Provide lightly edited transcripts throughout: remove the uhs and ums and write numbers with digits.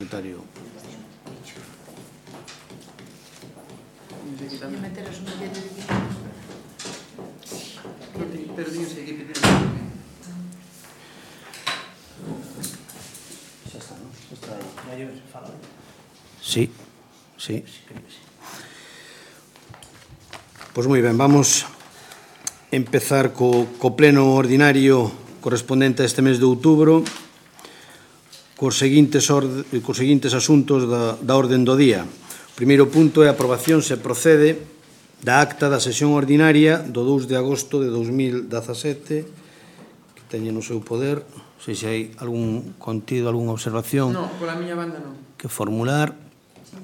parlamentario. Sí, sí. Pois moi ben, vamos empezar co pleno ordinario correspondente a este mes de outubro cos seguintes asuntos da orden do día. O primeiro punto é a aprobación se procede da acta da sesión ordinaria do 2 de agosto de 2017 que teñen no seu poder. Non sei se hai algún contido, algunha observación. Non, pola miña banda non. Que formular.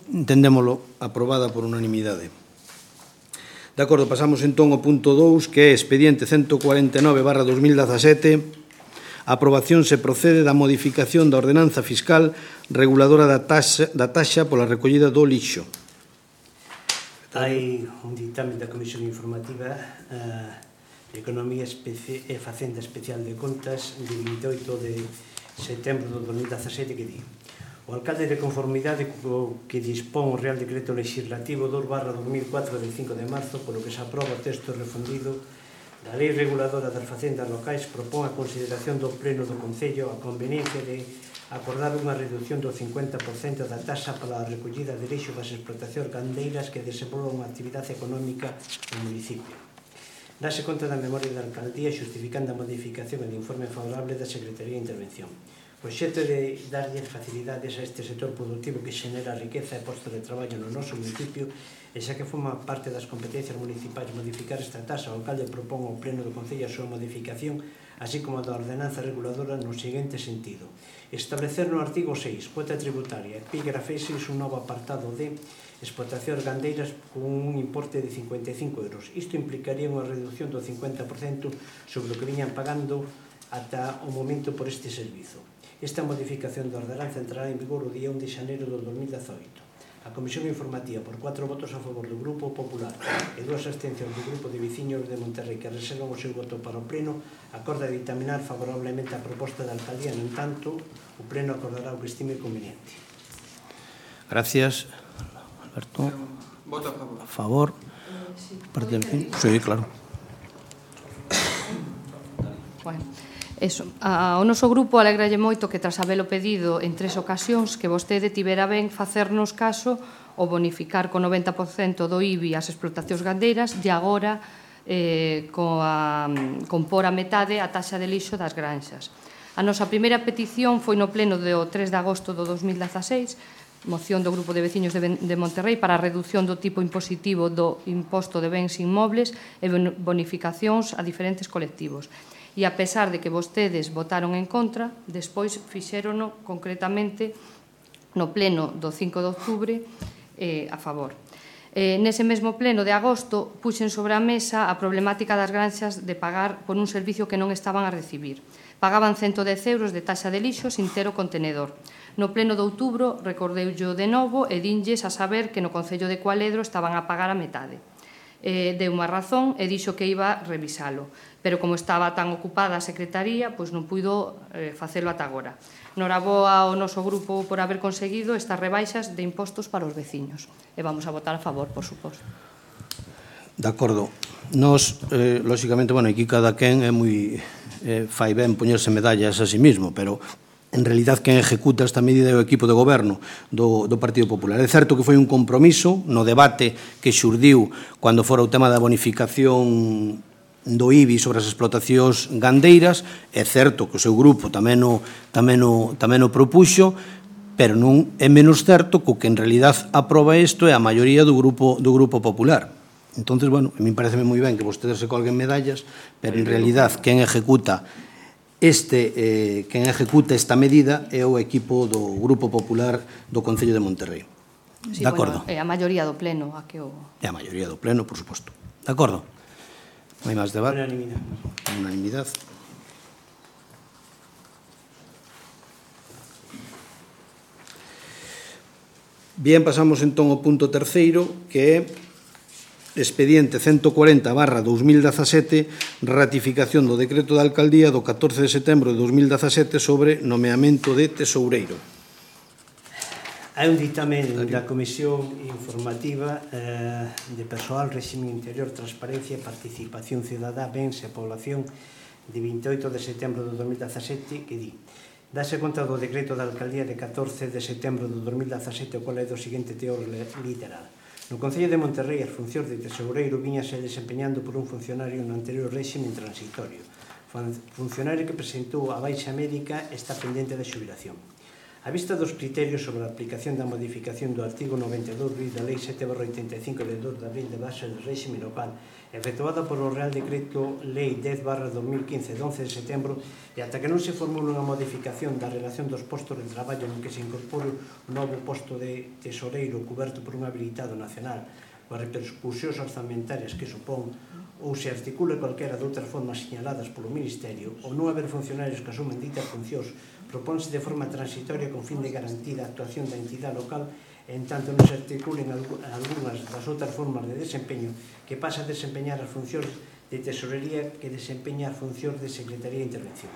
Entendémolo aprobada por unanimidade. De acordo, pasamos entón ao punto 2, que é expediente 149/2017. A aprobación se procede da modificación da ordenanza fiscal reguladora da taxa pola recollida do lixo. Hai un dictamen da Comisión Informativa de Economía e Facenda Especial de Contas de 28 de setembro de 2017 que di: o alcalde de conformidade co que dispón o Real Decreto Legislativo 2/2004 del 5 de marzo, polo que se aproba o texto refundido da Lei Reguladora das Facendas Locais, propón a consideración do Pleno do Concello a conveniencia de acordar unha reducción do 50% da taxa para a recollida de lixo das explotacións gandeiras que desenvolvan unha actividade económica no municipio. Dase conta da memoria da alcaldía xustificando a modificación e de informe favorable da Secretaría de Intervención. O xeito de darlle facilidades a este sector productivo que xenera riqueza e postos de traballo no noso municipio, e xa que forma parte das competencias municipais modificar esta taxa, o alcalde propón ao Pleno do Concello a súa modificación, así como a da ordenanza reguladora no seguinte sentido: establecer no artigo 6, cuota tributaria, epígrafe 6, un novo apartado de explotacións gandeiras con un importe de 55 euros. Isto implicaría unha reducción do 50% sobre o que viñan pagando ata o momento por este servizo. Esta modificación da ordenanza entrará en vigor o día 1 de xaneiro de 2018. A Comisión Informativa, por 4 votos a favor do Grupo Popular e 2 abstencións do Grupo de Veciños de Monterrei que reservan o seu voto para o Pleno, acorda dictaminar favorablemente a proposta da alcaldía. No entanto, o Pleno acordará o que estime conveniente. Gracias. Alberto. Voto a favor. A favor. Sí, claro. Bueno. Eso, ao noso grupo alegralle moito que tras habelo pedido en 3 ocasións que vostede tivera ben facernos caso ou bonificar co 90% do IBI as explotacións gandeiras e agora compor a metade a taxa de lixo das granxas. A nosa primeira petición foi no pleno do 3 de agosto do 2016, moción do Grupo de Veciños de Monterrei para a reducción do tipo impositivo do imposto de bens inmobles e bonificacións a diferentes colectivos. E a pesar de que vostedes votaron en contra, despois fixérono concretamente no pleno do 5 de outubro a favor. Nese mesmo pleno de agosto puxen sobre a mesa a problemática das granxas de pagar por un servicio que non estaban a recibir. Pagaban 110 euros de taxa de lixo sin ter o contenedor. No pleno de outubro recordeullo de novo e dinlles a saber que no Concello de Cualedro estaban a pagar a metade. Deu unha razón e dixo que iba a revisalo, pero como estaba tan ocupada a Secretaría, pois non puido facelo ata agora. Noraboa ao noso grupo por haber conseguido estas rebaixas de impostos para os veciños. E vamos a votar a favor, por suposto. De acordo. Nos, lóxicamente, bueno, aquí cada quen é moi fai ben poñerse medallas a sí mismo, pero en realidad quen ejecuta esta medida é o equipo de goberno do Partido Popular. É certo que foi un compromiso no debate que xurdiu cando fora o tema da bonificación do IBI sobre as explotacións gandeiras. É certo que o seu grupo tamén o propuxo, pero non é menos certo que o que en realidad aproba isto é a maioría do Grupo Popular. Entonces, bueno, a mí pareceme moi ben que vostedes se colguen medallas, pero en realidad quen ejecuta esta medida é o equipo do Grupo Popular do Concello de Monterrei. De acordo? É a maioría do pleno a que o... É a maioría do pleno, por suposto. De acordo? Non hai máis debate? Unanimidade. Bien, pasamos entón ao punto terceiro, que é expediente 140/2017, ratificación do decreto da alcaldía do 14 de setembro de 2017 sobre nomeamento de tesoureiro. Hai un dictamen da Comisión Informativa de Persoal, Réxime Interior, Transparencia e Participación Cidadá, Bens e Población de 28 de setembro de 2017 que di: dase conta do decreto da Alcaldía de 14 de setembro de 2017, o qual é do seguinte teor literal. No Concello de Monterrey, as funcións de tesoureiro viñase desempeñando por un funcionario no anterior réxime transitorio. Funcionario que presentou a baixa médica está pendente de xubilación. A vista dos criterios sobre a aplicación da modificación do artigo 92 da Lei 7/85 de 2 de abril de base do réxime local, efectuada polo Real Decreto Lei 10/2015 de 11 de setembro, e ata que non se formule unha modificación da relación dos postos de traballo en que se incorpore un novo posto de tesoreiro coberto por un habilitado nacional, coas repercusións orzamentarias que supón, ou se articule calquera de outras formas señaladas polo Ministerio, ou non haber funcionarios que asumen ditas funcións, propónse de forma transitoria con fin de garantir a actuación da entidade local, en tanto non se articulen algunhas das outras formas de desempeño que pasa a desempeñar as funcións de tesorería que desempeña as funcións de Secretaría de Intervención.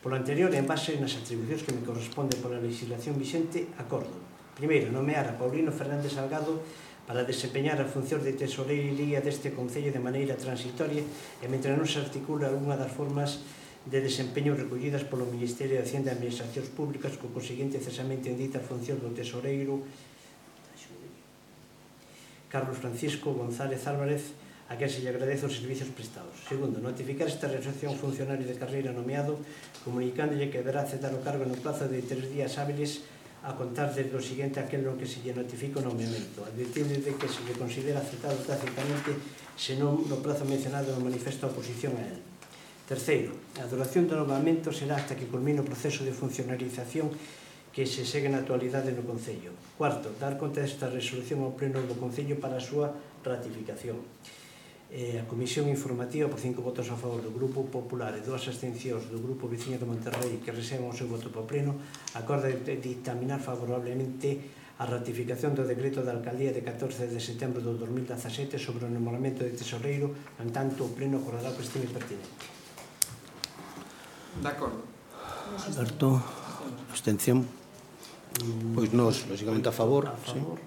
Por lo anterior, en base nas atribucións que me corresponde pola legislación vixente, acordo. Primeiro, nomear a Paulino Fernández Salgado para desempeñar as funcións de tesorería deste Concello de maneira transitoria e mentre non se articula algunha das formas de desempeño recollidas polo Ministerio de Hacienda e Administracións Públicas co conseguinte cesamento en ditas funcións do tesoreiro Carlos Francisco González Álvarez, a quen se lle agradece os servizos prestados. Segundo, notificar esta resolución ao funcionario de carreira nomeado, comunicándolle que deberá aceptar o cargo no plazo de 3 días hábiles a contar desde o seguinte aquilo que se lle notifica o nomeamento, advirtindo de que se lle considera aceptado tácitamente senón no plazo mencionado no manifesto a oposición a él. Terceiro, a duración do nomeamento será hasta que culmine o proceso de funcionarización que se segue na actualidade no Concello. Cuarto, dar conta desta resolución ao Pleno do Concello para a súa ratificación. A Comisión Informativa, por 5 votos a favor do Grupo Popular e 2 abstencións do Grupo Veciño de Monterrey que reservan o seu voto para o Pleno, acorda dictaminar favorablemente a ratificación do decreto da Alcaldía de 14 de setembro de 2017 sobre o nomeamento de tesoreiro, en tanto o Pleno acordará que estime pertinente. De acordo. Alberto, abstención. Pois nós, lógicamente, a favor. A favor.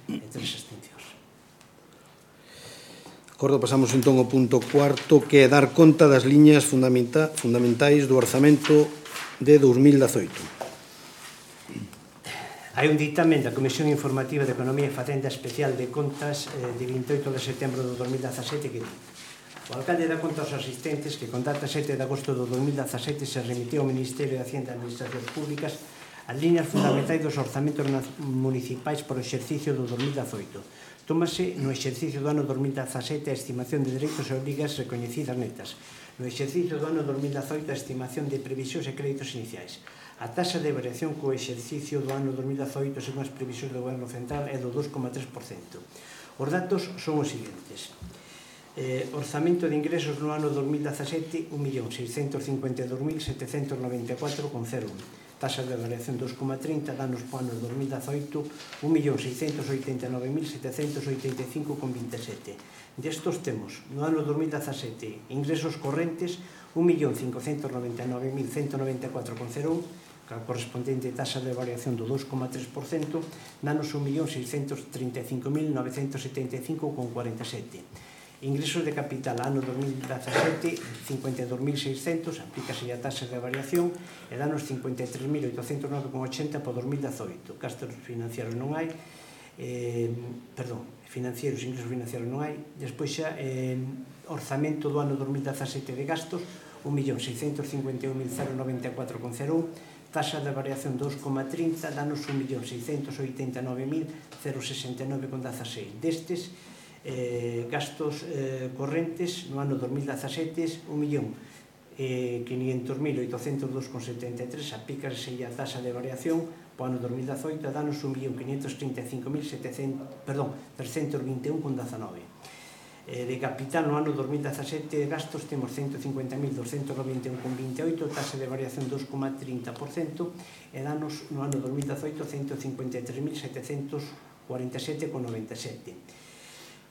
E 3 abstencións. De acordo, pasamos entón ao punto cuarto, que é dar conta das liñas fundamentais do orzamento de 2018. Hai un dictamen da Comisión Informativa de Economía e Facenda Especial de Contas de 28 de setembro de 2017 que di: o alcalde dá conta aos asistentes que con data 7 de agosto de 2017 se remitiu ao Ministerio de Hacienda e Administracións Públicas as liñas fundamentais dos orzamentos municipais por o exercicio do 2018. Tómase no exercicio do ano 2017 a estimación de dereitos e obrigas recoñecidas netas. No exercicio do ano 2018 a estimación de previsións e créditos iniciais. A taxa de variación co exercicio do ano 2018 según as previsións do Goberno Central é do 2,3%. Os datos son os seguintes. Orzamento de ingresos no ano 2017, 1.652.794,01. Taxa de variación 2,30, danos po ano 2018, 1.689.785,27. Destos temos, no ano 2017, ingresos correntes, 1.599.194,01, a correspondente taxa de variación do 2,3%, danos 1.635.975,47. Ingresos de capital ano 2017, 52.600, aplícase a taxa de variación, e danos 53.809,80 por 2018. Gastos financieros non hai, ingresos financieros non hai. Despois xa, orzamento do ano 2017 de gastos, 1.651.094,01, taxa de variación 2,30, danos 1.689.069,16. Destes, gastos correntes no ano 2017, 1.500.802,73, aplícase a taxa de variación po ano 2018, danos 1.535.321,19. De capital no ano 2017 gastos temos 150.291,28, taxa de variación 2,30%, e danos no ano 2018 153.747,97.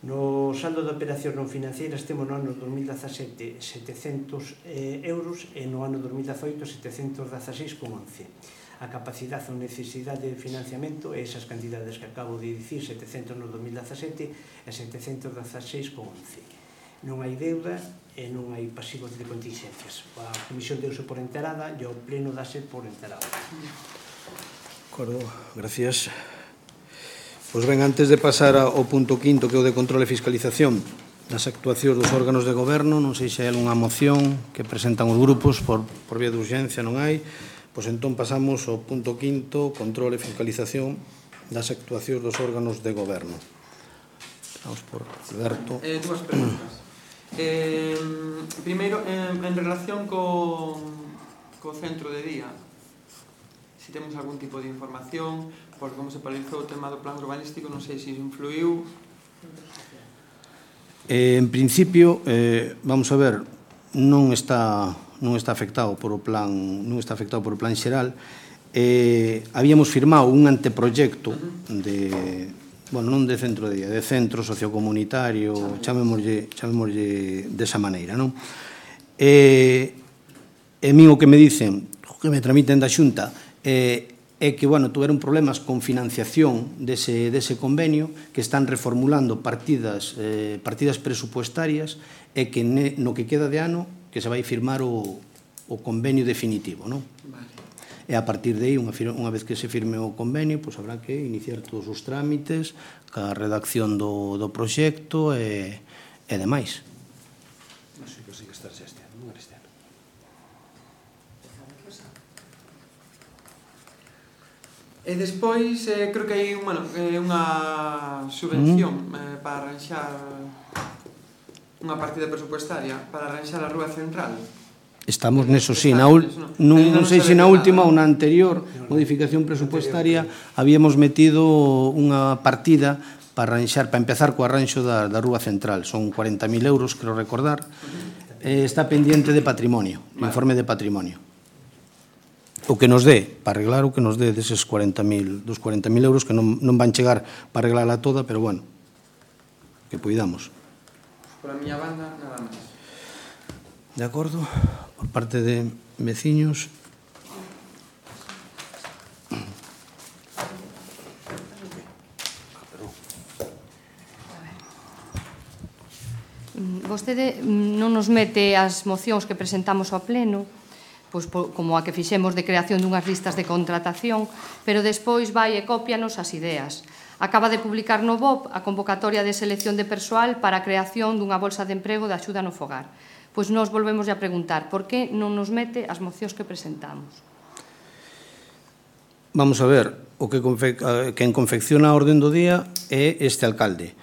No saldo de operacións non financeiras temos no ano 2017 700 euros e no ano 2018 716,11. A capacidade ou necesidade de financiamento é esas cantidades que acabo de dicir, 700 no 2017 e 716,11. Non hai deuda e non hai pasivos de contingencias. A Comisión deuse por enterada e o Pleno dase por enterado. De acordo, gracias. Pois ben, antes de pasar ao punto quinto, que é o de control e fiscalización das actuacións dos órganos de goberno, non sei se hai algunha moción que presentan os grupos por vía de urgencia, non hai. Pois entón pasamos ao punto quinto, control e fiscalización das actuacións dos órganos de goberno. Vamos por Alberto. Dúas preguntas. Primeiro, en relación co centro de día, se temos algún tipo de información, por como se paralizou o tema do plan urbanístico, non sei se influiu. En principio, vamos a ver, non está afectado por o plan xeral. Habíamos firmado un anteproyecto de, bueno, non de centro de día, de centro sociocomunitario, chamémoslle desa maneira, non? E min o que me dicen, que me tramiten da Xunta, é que, bueno, tuveron problemas con financiación dese convenio, que están reformulando partidas presupuestarias, e que no que queda de ano que se vai firmar o convenio definitivo, non? Vale. E a partir de aí, unha vez que se firme o convenio, pois habrá que iniciar todos os trámites, ca redacción do proxecto e demais. Non sei que sigue estarse este ano, non este ano. E despois, creo que hai unha subvención para arranxar unha partida presupuestaria para arranxar a rúa central. Estamos neso, sí, non sei se na última ou na anterior modificación presupuestaria habíamos metido unha partida para empezar co arranxo da rúa central. Son 40.000 euros, creo recordar. Está pendiente de patrimonio, informe de patrimonio. O que nos dé, para arreglar o que nos dé deses 40.000 euros, que non van chegar para arreglarla toda, pero bueno, que poidamos. Por a miña banda, nada máis. De acordo? Por parte de veciños. Vostede non nos mete as mocións que presentamos ao Pleno, pois como a que fixemos de creación dunhas listas de contratación, pero despois vai e cópianos as ideas. Acaba de publicar no BOP a convocatoria de selección de persoal para a creación dunha bolsa de emprego de axuda no fogar. Pois nós volvemos a preguntar por que non nos mete as mocións que presentamos. Vamos a ver, quen confecciona a orden do día é este alcalde.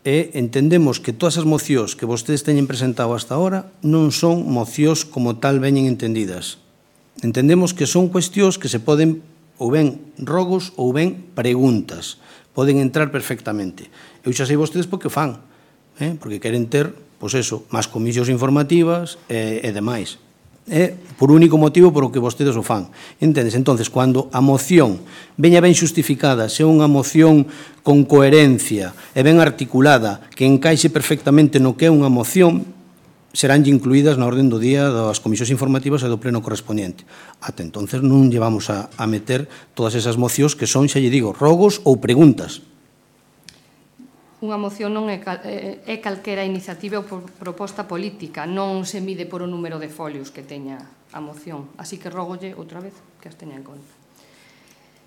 E entendemos que todas as mocións que vostedes teñen presentado hasta ahora non son mocións como tal veñen entendidas. Entendemos que son cuestións que se poden ou ben rogos ou ben preguntas. Poden entrar perfectamente. Eu xa sei vostedes porque o fan, porque queren ter, pois eso, máis comisións informativas e demais. Por único motivo por o que vostedes o fan. Entendes? Entonces, cando a moción veña ben xustificada, se unha moción con coherencia e ben articulada, que encaixe perfectamente no que é unha moción, serán incluídas na orden do día das comisións informativas e do pleno correspondiente. Ata entonces non llevamos a meter todas esas mocións que son, xa lle digo, rogos ou preguntas. Unha moción non é calquera iniciativa ou proposta política, non se mide por o número de folios que teña a moción. Así que rogolle outra vez que as teña en conta.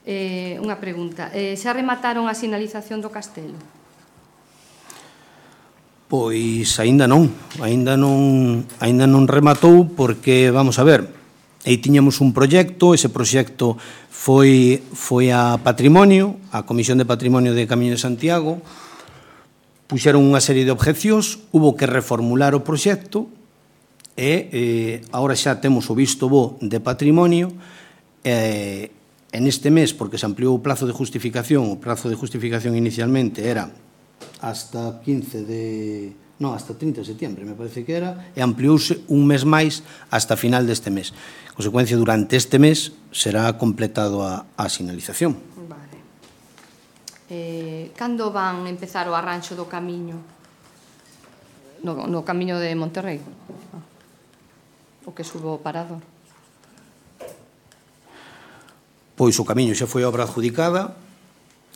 Unha pregunta. Xa remataron a sinalización do castelo? Pois aínda non rematou porque, vamos a ver, aí tiñamos un proxecto, ese proxecto foi a Patrimonio, a Comisión de Patrimonio de Camiño de Santiago, puxeron unha serie de objecións, hubo que reformular o proxecto e agora xa temos o visto bo de Patrimonio en este mes, porque se ampliou o prazo de justificación, o prazo de justificación inicialmente era hasta 30 de setembro, me parece que era, e ampliouse un mes máis hasta final deste mes. En consecuencia, durante este mes será completado a sinalización. Vale. Cando van empezar o arranxo do camiño? No camiño de Monterrei. O que subo o parador. Pois o camiño xa foi obra adjudicada,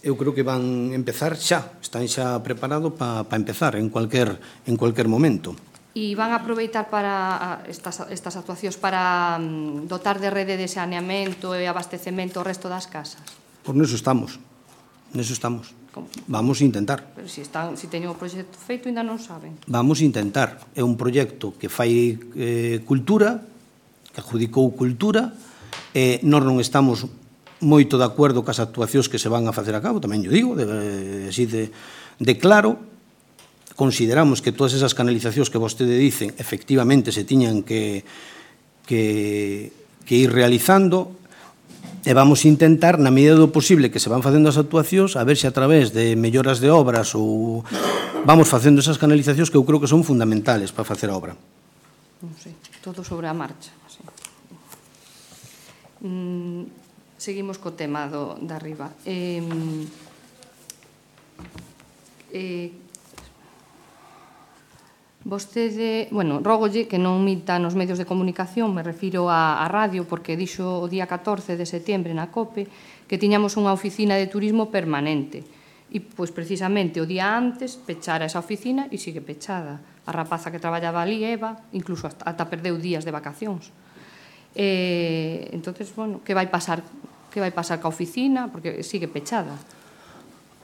eu creo que van empezar xa, están xa preparados para empezar en cualquier momento. E van a aproveitar para estas actuacións para dotar de rede de saneamento e abastecemento o resto das casas? Por neso estamos. Vamos a intentar. Pero se teñen o proxecto feito, ainda non saben. Vamos a intentar. É un proxecto que fai cultura, que adjudicou cultura, e nós non estamos moito de acordo cas actuacións que se van a facer a cabo, tamén yo digo, así de claro. Consideramos que todas esas canalizacións que vostede dicen efectivamente se tiñan que ir realizando, e vamos a intentar, na medida do posible que se van facendo as actuacións, a ver se a través de melloras de obras ou vamos facendo esas canalizacións que eu creo que son fundamentales para facer a obra. Non sei, todo sobre a marcha. Seguimos co tema de arriba. Vostede, rógolle que non minta nos medios de comunicación, me refiro á radio, porque dixo o día 14 de setembro na COPE que tiñamos unha oficina de turismo permanente. E, pois, precisamente, o día antes pechara esa oficina e sigue pechada. A rapaza que traballaba ali, Eva, incluso ata perdeu días de vacacións. Entonces, que vai pasar ca oficina? Porque sigue pechada.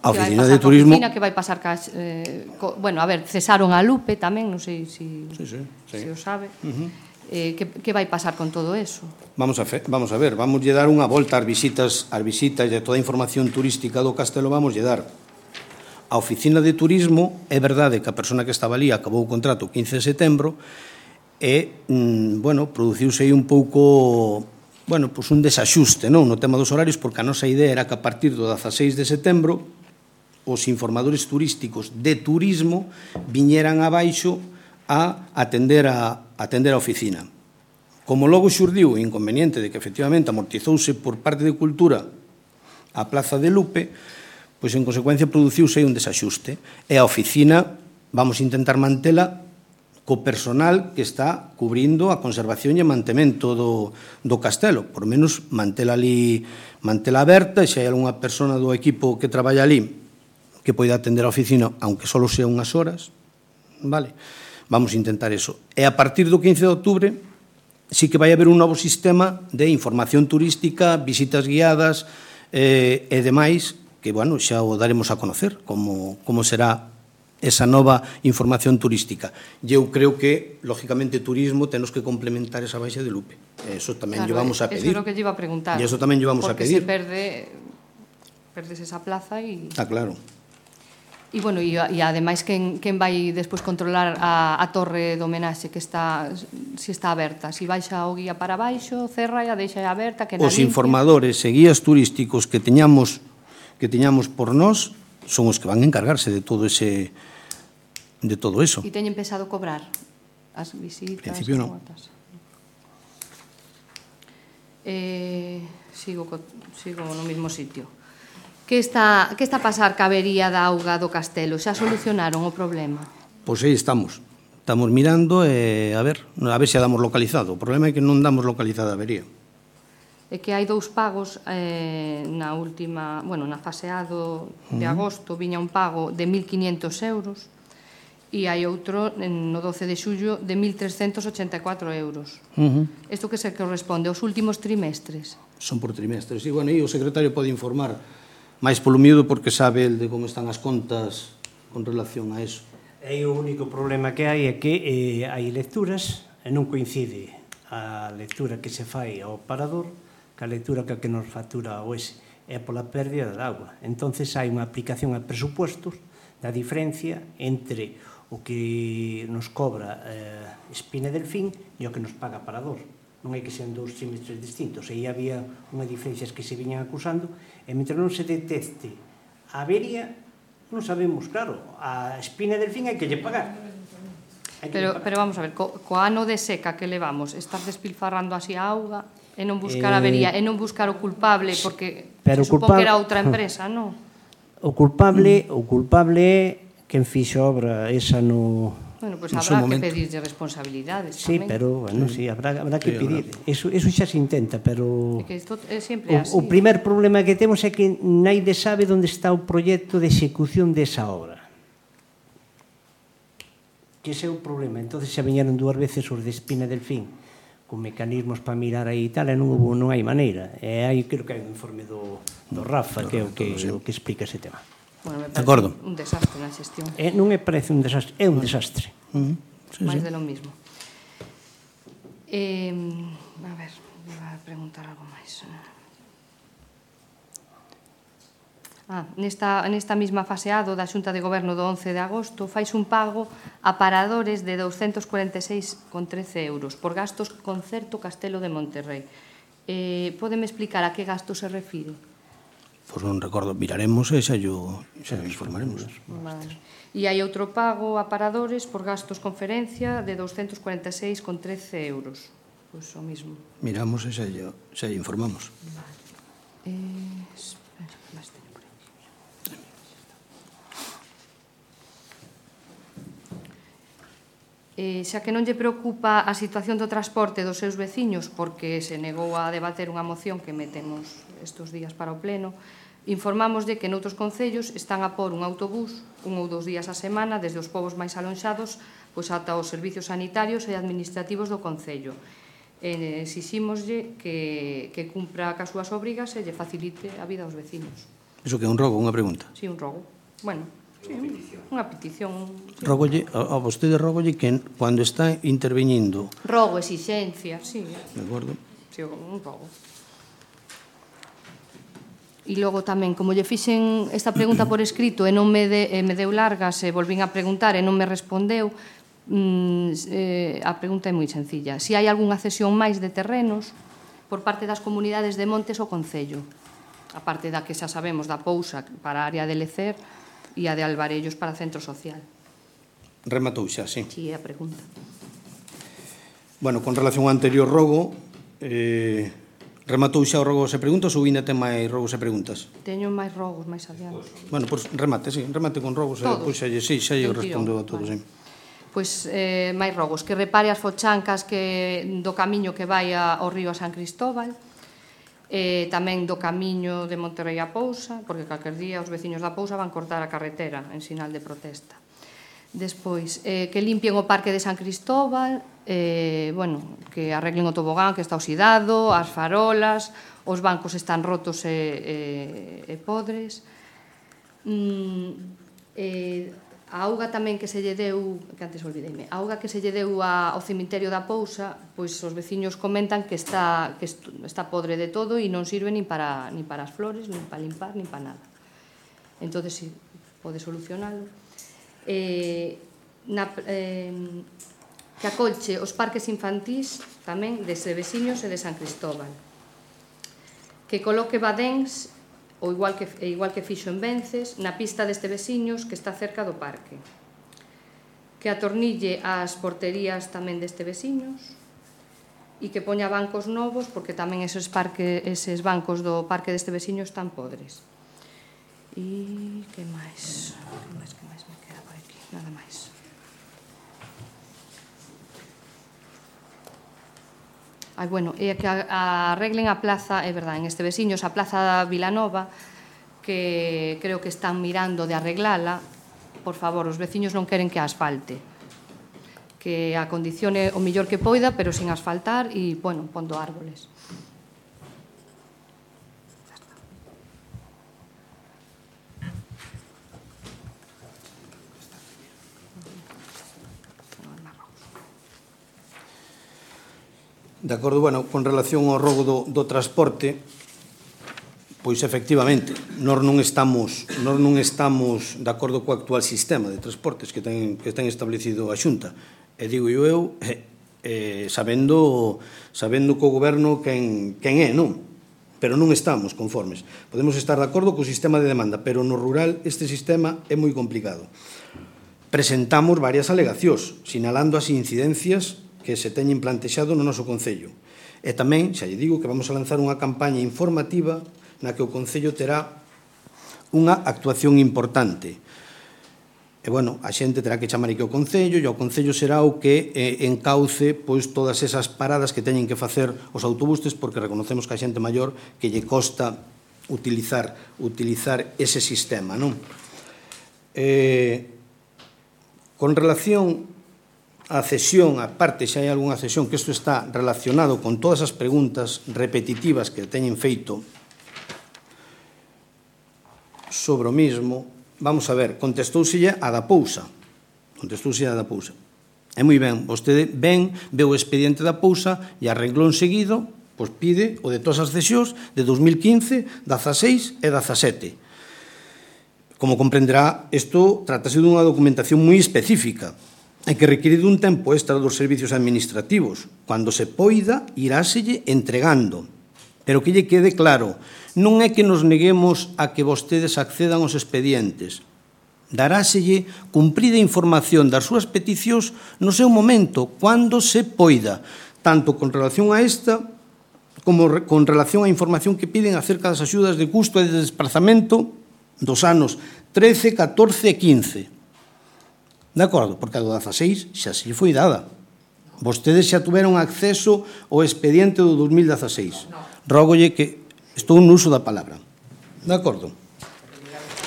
A oficina de turismo... Que vai pasar ca... a ver, cesaron a Lupe tamén, non sei se o sabe. Que vai pasar con todo eso? Vamos a ver, vamos a dar unha volta ás visitas e toda a información turística do Castelo vamos a dar. A oficina de turismo, é verdade que a persona que estaba ali acabou o contrato o 15 de setembro e, produciuse aí un pouco... un desaxuste no tema dos horarios, porque a nosa idea era que a partir do 16 de setembro os informadores turísticos de turismo viñeran abaixo a atender a oficina. Como logo xurdiu o inconveniente de que efectivamente amortizouse por parte de Cultura a Plaza de Lupe, pois en consecuencia produciuse un desaxuste. E a oficina vamos a intentar mantela co personal que está cubrindo a conservación e mantemento do castelo. Por menos mantela aberta, e se hai algunha persona do equipo que traballa ali que poida atender a oficina, aunque só sea unhas horas, vale? Vamos a intentar eso. E a partir do 15 de outubro sí que vai haber un novo sistema de información turística, visitas guiadas e demais, que, xa o daremos a conocer, como será esa nova información turística. E eu creo que, lógicamente, turismo tenos que complementar esa baixa de Lupe. Eso tamén lle vamos a pedir. Eso é o que lle iba a preguntar. E eso tamén lle vamos a pedir. Porque se perdes esa plaza e... Está claro. E, ademais, quen vai despois controlar a torre de homenaxe que está aberta? Si baixa o guía para baixo, cerra e a deixa aberta, que na limpia... Os informadores e guías turísticos que teñamos por nós son os que van a encargarse de todo eso. E teñen pensado cobrar as visitas? En principio non. Sigo no mesmo sitio. Que está a pasar ca avería da auga do castelo? Xa solucionaron o problema? Pois aí estamos mirando e a ver se a damos localizado. O problema é que non damos localizada a avería. É que hai 2 pagos na última, na fase A de agosto, viña un pago de 1.500 euros e hai outro no 12 de xullo de 1.384 euros. Isto que se corresponde aos últimos trimestres? Son por trimestres, e o secretario pode informar máis polo miúdo porque sabe el de como están as contas con relación a eso. E o único problema que hai é que hai lecturas e non coincide a lectura que se fai ao parador ca lectura que nos factura o ESE, é pola pérdida de agua. Entonces hai unha aplicación a presupuestos da diferencia entre o que nos cobra Espina Delfín e o que nos paga parador. Non hai que ser 2 trimestres distintos. Aí había unhas diferencias que se viñan acusando, e mentre non se detecte a avería, non sabemos, claro, a Espina Delfín hai que lle pagar. Pero vamos a ver, co ano de seca que levamos, estar despilfarrando así a auga e non buscar a avería, e non buscar o culpable, porque se supón que era outra empresa, non? O culpable é quen fixo a obra esa no Bueno, pois habrá que pedirlle responsabilidades tamén. Sí, pero, bueno, sí, habrá que pedir. Eso xa se intenta, pero... É que isto é sempre así. O primer problema que temos é que naide sabe onde está o proxecto de execución desa obra. Que ese é o problema. Entón, xa viñeron 2 veces os de Espina del Fin, con mecanismos para mirar aí e tal, e non hai maneira. E aí, creo que hai un informe do Rafa, que é o que explica ese tema. Bueno, me parece un desastre na xestión. Non me parece un desastre, é un desastre. Máis de lo mismo. A ver, vou a preguntar algo máis. Nesta mesma faseado da Xunta de Goberno do 11 de agosto fais un pago a paradores de 246,13 euros por gastos Concerto Castelo de Monterrey. Pódeme explicar a que gasto se refire? Pois non recordo, miraremos e xa informaremos. Vale. E hai outro pago a paradores por gastos conferencia de 246,13 euros. Pois o mismo. Miramos e xa informamos. Vale. Xa que non lle preocupa a situación do transporte dos seus veciños, porque se negou a debater unha moción que metemos estes días para o pleno, informamos de que noutros concellos están a pôr un autobús 1 ou 2 días a semana desde os povos máis alonxados pois ata os servicios sanitarios e administrativos do concello. Exixímoslle que cumpra cas súas obrigas e lle facilite a vida aos veciños. Iso que é un rogo, unha pregunta? Sí, un rogo. Bueno, sí, unha petición. Rogolle, a vostede rogolle que cando está intervenindo... Rogo, exixencia, sí. De acordo. Sí, un rogo. E logo tamén, como lle fixen esta pregunta por escrito e non me deu largas e volvín a preguntar e non me respondeu, a pregunta é moi sencilla. Se hai algunha cesión máis de terrenos por parte das comunidades de montes ou concello, a parte da que xa sabemos da Pousa para a área de Lecer e a de Alvarellos para centro social. Rematou xa, sí. Sí, é a pregunta. Bueno, con relación ao anterior rogo, rematou xa o rogo se preguntas ou ainda ten máis rogos e preguntas? Teño máis rogos máis adiante. Bueno, pois remate con rogos. Todos? Xa lle respondo a todos. Vale. Pois máis rogos, que repare as fochancas do camiño que vai ao río San Cristóbal, tamén do camiño de Monterrey a Pousa, porque calquer día os veciños da Pousa van cortar a carretera en sinal de protesta. Despois, que limpien o parque de San Cristóbal, que arreglen o tobogán que está oxidado, as farolas, os bancos están rotos e podres. A auga tamén que se lle deu, que antes olvideime, a auga que se lle deu ao cemiterio da Pousa, pois os veciños comentan que está podre de todo e non sirve nin para as flores, nin para limpar, nin para nada. Entón, si pode solucionalo. Que acolche os parques infantís tamén de veciños e de San Cristóbal, que coloque badéns igual que fixo en Vences na pista deste veciños que está cerca do parque, que atornille as porterías tamén deste veciños e que poña bancos novos porque tamén eses bancos do parque deste veciño están podres. E que máis? Que máis me queda por aquí? Nada máis. E que arreglen a plaza, é verdade, en este veciños, a plaza da Vilanova, que creo que están mirando de arreglala. Por favor, os veciños non queren que a asfalte, que a condicione o mellor que poida, pero sin asfaltar e, pondo árboles. De acordo, con relación ao rogo do transporte, pois efectivamente, nós non estamos de acordo co actual sistema de transportes que ten establecido a Xunta. E digo eu, sabendo co goberno quen é, non? Pero non estamos conformes. Podemos estar de acordo co sistema de demanda, pero no rural este sistema é moi complicado. Presentamos varias alegacións, sinalando as incidencias que se teñen plantexado no noso Concello. E tamén, xa lle digo, que vamos a lanzar unha campaña informativa na que o Concello terá unha actuación importante. E, bueno, a xente terá que chamar aquí ao Concello e o Concello será o que encauce pois todas esas paradas que teñen que facer os autobuses, porque reconocemos que a xente maior que lle costa utilizar ese sistema, non? Con relación á cesión, a parte, se hai algunha cesión, que isto está relacionado con todas as preguntas repetitivas que teñen feito sobre o mismo. Vamos a ver, contestóuselle a da Pousa. É moi ben, vostede ve o expediente da Pousa e a renglón seguido, pois pide o de todas as cesións de 2015, 16 e 17. Como comprenderá, isto trátase dunha documentación moi específica e que require dun tempo extra dos servicios administrativos. Cando se poida, iráselle entregando. Pero que lle quede claro, non é que nos neguemos a que vostedes accedan aos expedientes. Daráselle cumprida información das súas peticións no seu momento, cando se poida, tanto con relación a esta como con relación á información que piden acerca das axudas de custo e de desplazamento dos anos 13, 14 e 15. De acordo? Porque a do 16 xa se foi dada. Vostedes xa tuveron acceso ao expediente do 2016. Rógolle que estou no uso da palabra. De acordo?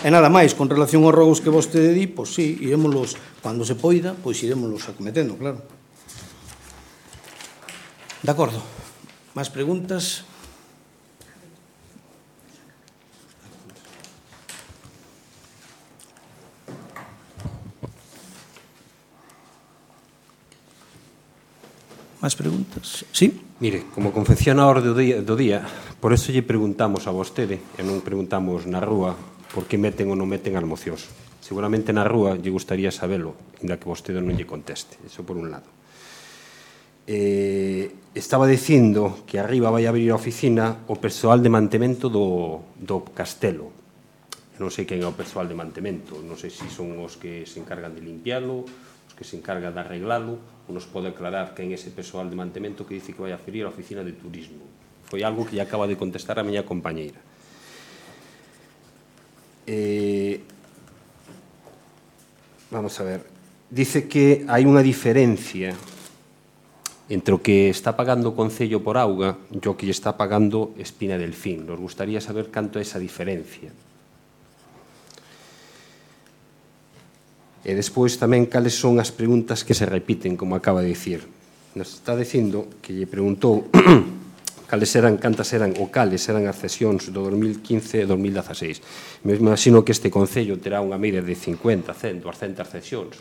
E nada máis, con relación aos rogos que vostede di, pois sí, irémolos, cando se poida, pois irémolos acometendo, claro. De acordo. Más preguntas? Más preguntas? Sí? Mire, como confeccionador do día, por eso lle preguntamos a vostede, e non preguntamos na rúa, por que meten ou non meten as mocións. Seguramente na rúa lle gustaría sabelo, inda que vostede non lle conteste. Eso por un lado. Estaba dicindo que arriba vai abrir a oficina o persoal de mantemento do castelo. Non sei quen é o persoal de mantemento, non sei se son os que se encargan de limpialo, os que se encargan de arreglalo, ou nos pode aclarar quen é ese persoal de mantemento que dice que vai abrir a oficina de turismo. Foi algo que lle acaba de contestar a miña compañeira. Vamos a ver, dice que hai unha diferencia entre o que está pagando o Concello por auga e o que lle está pagando Espina Delfín. Nos gustaría saber canto é esa diferencia. E despois tamén cales son as preguntas que se repiten, como acaba de dicir. Nos está dicindo que lle preguntou cantas eran ou cales eran as cesións do 2015 e 2016. Me imagino que este Concello terá unha media de 50, 100, 200 cesións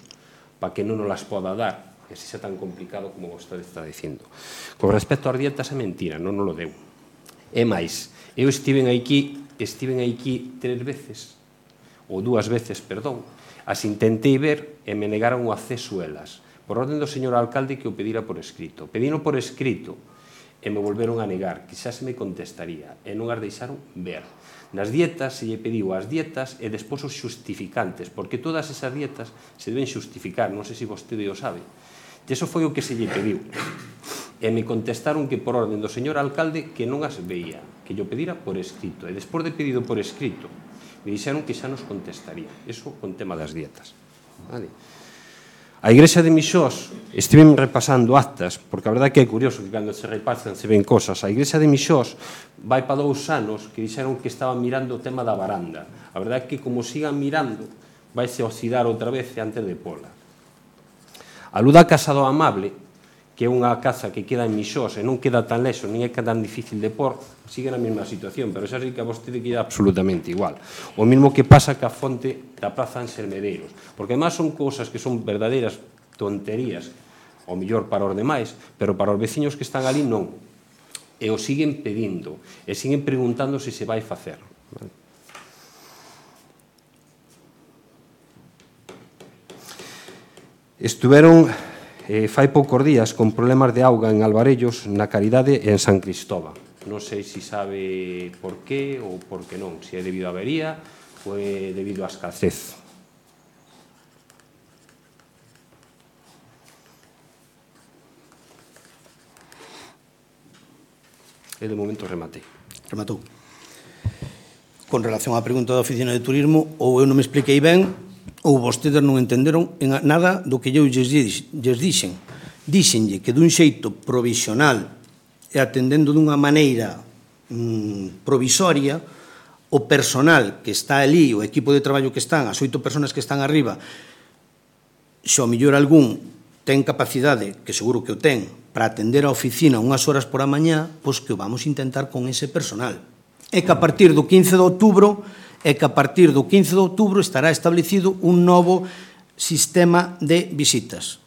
para que non nos las poda dar, e se xa tan complicado como vostede está dicindo. Con respecto ás dietas é mentira, non nos lo deu. É máis, eu estiven aquí 3 veces, ou 2 veces, perdón, as intentei ver e me negaron o acceso elas, por orden do señor alcalde que o pedira por escrito. Pedino por escrito e me volveron a negar, que xa se me contestaría, e non as deixaron ver. Nas dietas se lle pediu as dietas e despois os xustificantes, porque todas esas dietas se deben xustificar, non sei se vostede o sabe. E iso foi o que se lle pediu. E me contestaron que por orden do señor alcalde que non as veía, que yo pedira por escrito. E despois de pedido por escrito, me dixeron que xa nos contestaría. Eso con tema das dietas. Vale. A Igrexa de Mixós, estive repasando actas, porque a verdade que é curioso que cando se repasan se ven cosas. A Igrexa de Mixós vai para 2 anos que dixeron que estaban mirando o tema da varanda. A verdade é que como sigan mirando, vaise oxidar outra vez antes de pola. A Luda Casa do Amable, que é unha casa que queda en Mixós e non queda tan lexo, nin é tan difícil de por, sigue na mesma situación, pero xa sei que a vostede queda absolutamente igual. O mesmo que pasa ca fonte da Praza Ángel Medeiros, porque además son cousas que son verdadeiras tonterías, ao mellor para os demais, pero para os veciños que están ali non. E o siguen pedindo, e siguen preguntando se se vai facer. Estuveron fai poucos días con problemas de auga en Alvarellos, na Caridade e en San Cristóbal. Non sei se sabe por qué ou por que non, se é debido a avería ou é debido a escasez. E de momento rematei. Rematou. Con relación á pregunta da Oficina de Turismo, ou eu non me expliquei ben, ou vostedes non entenderon nada do que eu lles dixen. Díxenlle que dun xeito provisional e atendendo dunha maneira provisoria, o personal que está ali, o equipo de traballo que están, as 8 personas que están arriba, se ao mellor algún ten capacidade, que seguro que o ten, para atender a oficina unhas horas por a mañá, pois que o vamos intentar con ese personal. E que a partir do 15 de outubro estará establecido un novo sistema de visitas.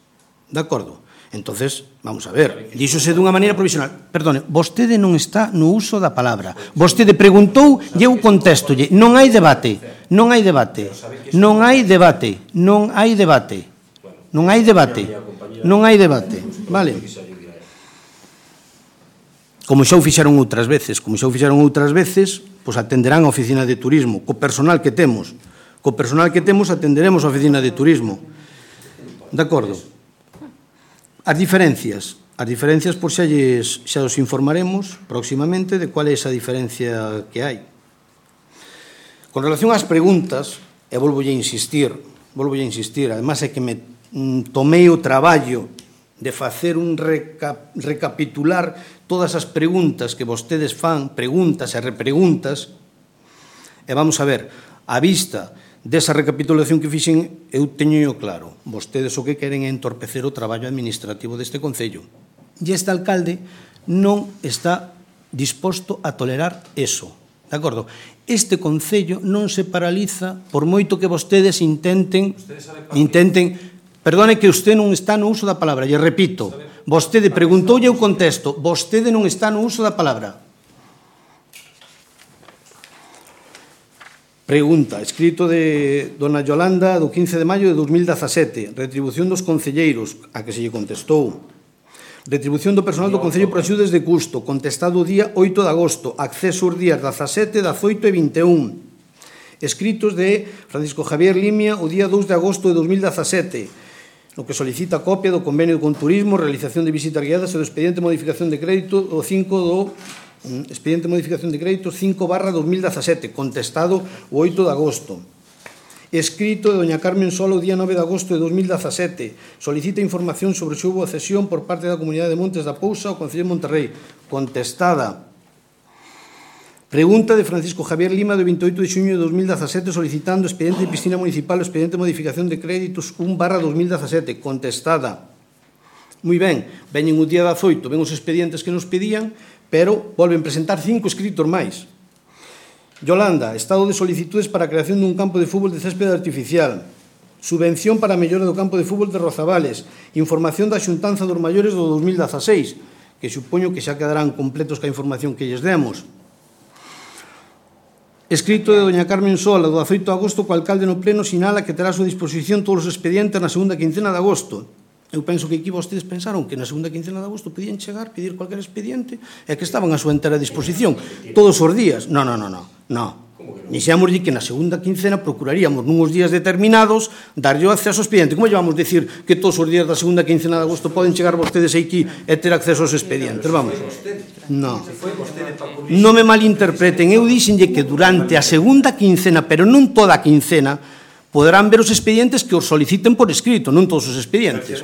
De acordo? Entonces, vamos a ver, díxose dunha maneira provisional. Perdone, vostede non está no uso da palabra. Vostede preguntou e eu contéstolle. Non hai debate. Non hai debate. Non hai debate. Non hai debate. Non hai debate. Non hai debate. Vale? Como xa o fixeron outras veces, pois atenderán a oficina de turismo, co personal que temos. Co personal que temos atenderemos a oficina de turismo. De acordo? As diferencias, pois xa os informaremos próximamente de cual é esa diferencia que hai. Con relación ás preguntas, e volvolle a insistir, además é que me tomei o traballo de facer un recapitular todas as preguntas que vostedes fan, preguntas e repreguntas, e vamos a ver, a vista desa recapitulación que fixen, eu teño claro, vostedes o que queren é entorpecer o traballo administrativo deste Concello. E este alcalde non está disposto a tolerar eso, de acordo? Este Concello non se paraliza por moito que vostedes intenten, perdone que usted non está no uso da palabra, e repito, vostede preguntou e eu contesto, vostede non está no uso da palabra. Pregunta, escrito de dona Yolanda do 15 de maio de 2017, retribución dos concelleiros, a que se lle contestou. Retribución do personal do Concello por axudas de custo, contestado o día 8 de agosto, acceso os días 17, 18 e 21. Escritos de Francisco Javier Limia o día 2 de agosto de 2017, no que solicita copia do convenio con turismo, realización de visitas guiadas e do expediente de modificación de crédito o 5 do expediente de modificación de créditos 5/2017, contestado o 8 de agosto. Escrito de doña Carmen Sola o día 9 de agosto de 2017, solicita información sobre se houbo cesión por parte da Comunidade de Montes da Pousa ao Concello de Monterrei, contestada. Pregunta de Francisco Javier Lima do 28 de xuño de 2017 solicitando expediente de piscina municipal o expediente de modificación de créditos 1/2017, contestada. Moi ben, veñen o día 18, ven os expedientes que nos pedían, pero volven presentar 5 escritos máis. Yolanda, estado de solicitudes para a creación dun campo de fútbol de céspede artificial, subvención para a mellora do campo de fútbol de Rozabales, información da xuntanza dos maiores do 2016, que supoño que xa quedarán completos ca información que lles demos. Escrito de doña Carmen Sola, do 18 de agosto, co alcalde no pleno sinala que terá a súa disposición todos os expedientes na segunda quincena de agosto. Eu penso que aquí vostedes pensaron que na segunda quincena de agosto podían chegar, pedir cualquier expediente e que estaban a súa entera disposición todos os días. Non. Dixemos que na segunda quincena procuraríamos nuns días determinados darlle o acceso ao expediente. Como llevamos decir que todos os días da segunda quincena de agosto poden chegar vostedes aquí e ter acceso aos expedientes? Vamos. Non me malinterpreten. Eu dixenlle que durante a segunda quincena, pero non toda a quincena, poderán ver os expedientes que os soliciten por escrito, non todos os expedientes.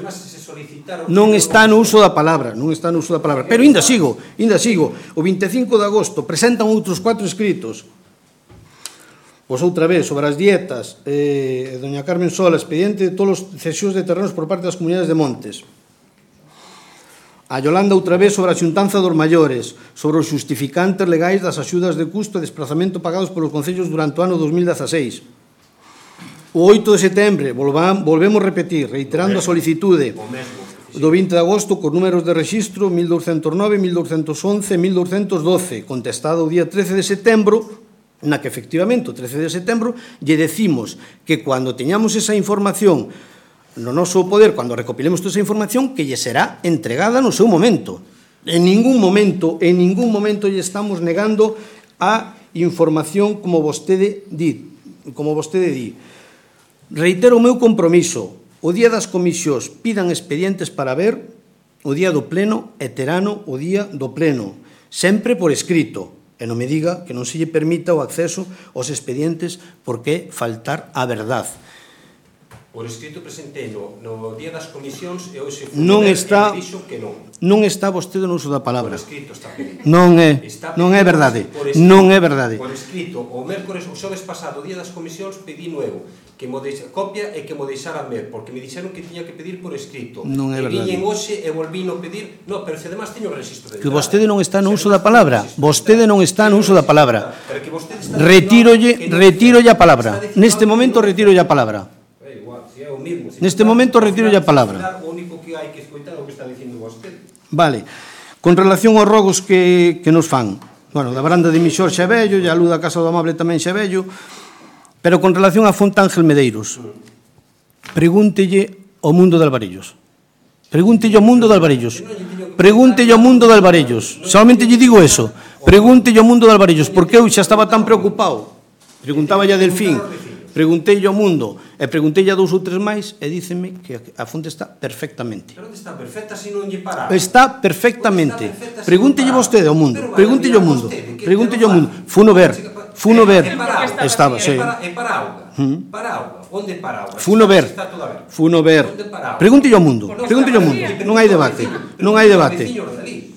Non está no uso da palabra, Pero ainda sigo. O 25 de agosto presentan outros 4 escritos. Pois outra vez, sobre as dietas, doña Carmen Sola, expediente de todos os cesións de terrenos por parte das comunidades de montes. A Yolanda outra vez sobre a xuntanza dos maiores, sobre os justificantes legais das axudas de custo e desplazamento pagados polos concellos durante o ano 2016. O 8 de setembro, volvemos repetir, reiterando a solicitude do 20 de agosto con números de rexistro 1209, 1211 e 1212, contestado o día 13 de setembro, na que efectivamente o 13 de setembro lle decimos que cando teñamos esa información no noso poder, cando recopilemos toda esa información, que lle será entregada no seu momento. En ningún momento lle estamos negando a información como vostede di. Reitero o meu compromiso. O día das comisións pidan expedientes para ver, o día do pleno e terano o día do pleno, sempre por escrito. E non me diga que non se lle permita o acceso aos expedientes porque faltar a verdad. Por escrito presentei no día das comisións e hoxe foi Non e está- me dixo que non. Non está vostede no uso da Por palabra. escrito está pedido. Non é Está verdade. por escrito. Non é verdade. Por escrito, o mércores, o xoves pasado, o día das comisións, pedí nuevo que mo copia e que mo deixaran ver, porque me dixeron que tiña que pedir por escrito. Non é verdade. E viñen hoxe e volvíno pedir, no, pero se además teño o registro de Que vostede non está no uso da palabra. Vostede non está no uso da palabra. Pero que vostede está Retírolle a palabra. Neste momento retírolle a palabra. É igual, si é o mismo. Neste momento retiro a palabra. O único que hai que escoitar é o que está dicindo vostede. Vale. Con relación aos rogos que nos fan, bueno, da Baranda de Mixor xa é vello, e a luz da Casa do Amable tamén xa é vello, pero con relación a Fonte Ángel Medeiros, pregúntelle ao mundo de Alvarellos. Pregúntelle ao mundo de Alvarellos. Pregúntelle ao mundo de Alvarellos. Solamente lle digo eso. Pregúntelle ao mundo de Alvarellos, porque eu xa estaba tan preocupado. Preguntaba a Delfín, preguntei ao mundo e preguntei a 2 ou 3 máis e dícenme que a fonte está perfectamente. Pero onde está perfecta se non lle para? Está perfectamente. Pregúntelle vostede ao mundo. Pregúntelle ao mundo. Pregúntelle ao mundo. Funo ver. Estaba, sí. É para auga. Para auga. Onde para auga? Funo ver. Está toda ver. Funo ver. Pregúntelle ao mundo. Pregúntelle ao mundo. Non hai debate. Non hai debate.